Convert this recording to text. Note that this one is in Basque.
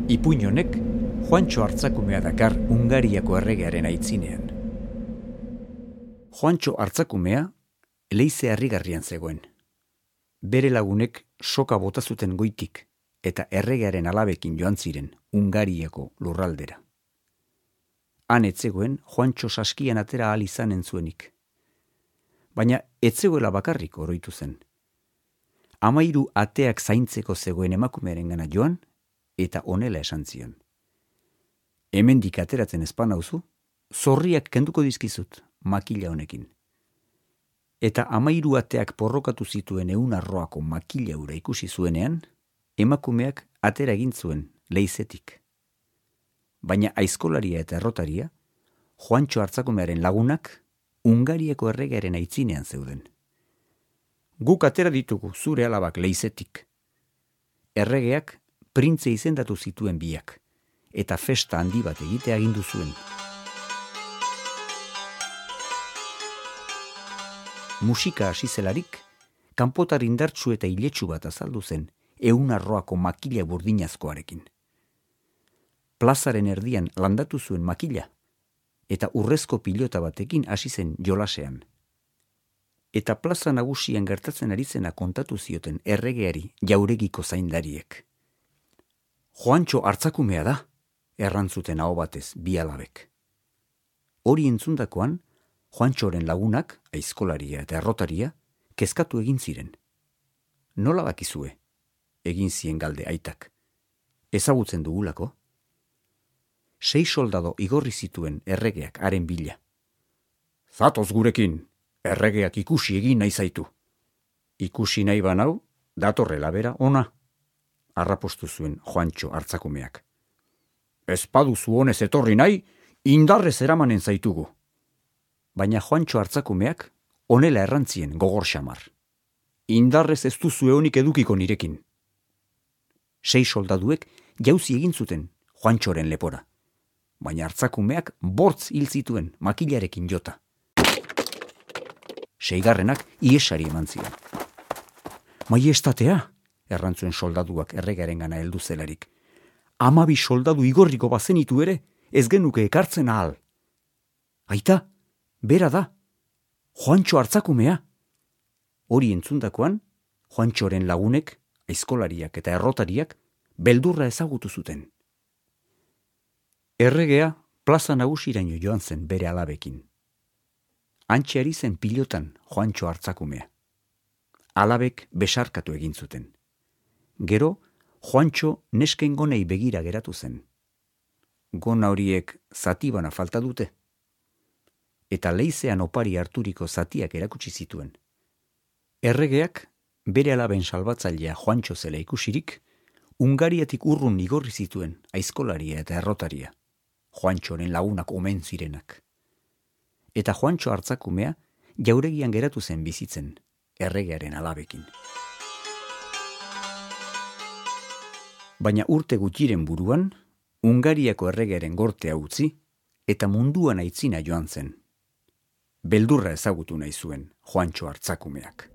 Ipuin honek Juantxo Artzakumea dakar Hungariako erregearen aitzinean. Juantxo Artzakumea leize harrigarrian zegoen. Bere lagunek soka bota zuten goitik eta erregearen alabekin joan ziren Hungariako lurraldera. Han etzegoen Juantxo saskian atera ahal izanen zuenik. Baina etzegoela bakarrik oroitu zen. 13 ateak zaintzeko zegoen emakumearengana joan eta honela esan zion. Hemendik ateratzen ez banauzu, zorriak kenduko dizkizut makila honekin. Eta 13 ateak porrokatu zituen 100 arroako makila hura ikusi zuenean, emakumeak atera egin zuen leizetik. Baina aizkolaria eta errotaria, Juantxo Artzakumearen lagunak, Hungariako erregearen aitzinean zeuden. Guk atera ditugu zure alabak leizetik. Erregeak printze izendatu zituen biak, eta festa handi bat egitea agindu zuen. Musika hasi zelarik, kanpotar indartsu eta iletsu bat azaldu zen 100 arroako makila burdinazkoarekin. Plazaren erdian landatu zuen makila, eta urrezko pilota batekin hasi zen jolasean. Eta plaza nagusian gertatzen ari zena kontatu zioten erregeari jauregiko zaindariek. Juantxo Artzakumea da, errantzuten aho batez bi alabek. Hori entzundakoan, Juantxoren lagunak, aizkolaria eta errotaria, kezkatu egin ziren. Nola bakizue? Egin zien galde aitak. Ezagutzen dugulako? 6 soldado igorri zituen erregeak haren bila. Zatoz gurekin, erregeak ikusi egin nahi zaitu. Ikusi nahi banau, datorrela bera ona, arrapostu zuen Juantxo Artzakumeak. Ez paduzu honez etorri nahi, indarrez eramanen zaitugu. Baina Juantxo Artzakumeak honela errantzien gogor xamar. Indarrez ez duzu eonik edukiko nirekin. 6 soldaduek jauzi egin zuten Juantxoren lepora. Baina Artzakumeak bortz hil zituen makilarekin jota. 6. iesari eman zion. Maiestatea, errantzuen soldaduak erregearengana heldu zelarik. 12 soldadu igorriko bazenitu ere, ez genuke ekartzen ahal. Aita, bera da, Juantxo Artzakumea. Hori entzundakoan, Juantxoren lagunek, aizkolariak eta errotariak, beldurra ezagutu zuten. Erregea plaza nagusiraino joan zen bere alabekin. Hantxe ari zen pilotan Juantxo Artzakumea. Alabek besarkatu egin zuten. Gero, Juantxo nesken gonei begira geratu zen. Gona horiek zatibana falta dute. Eta leizean opari harturiko zatiak erakutsi zituen. Erregeak, bere alaben salbatzailea Juantxo zela ikusirik, Hungariatik urrun igorri zituen aizkolaria eta errotaria, Juantxoren lagunak omen zirenak. Eta Juantxo Artzakumea jauregian geratu zen bizitzen, erregearen alabekin. Baina urte gutxiren buruan, Hungariako erregearen gortea utzi eta munduan aitzina joan zen. Beldurra ezagutu nahi zuen Juantxo Artzakumeak.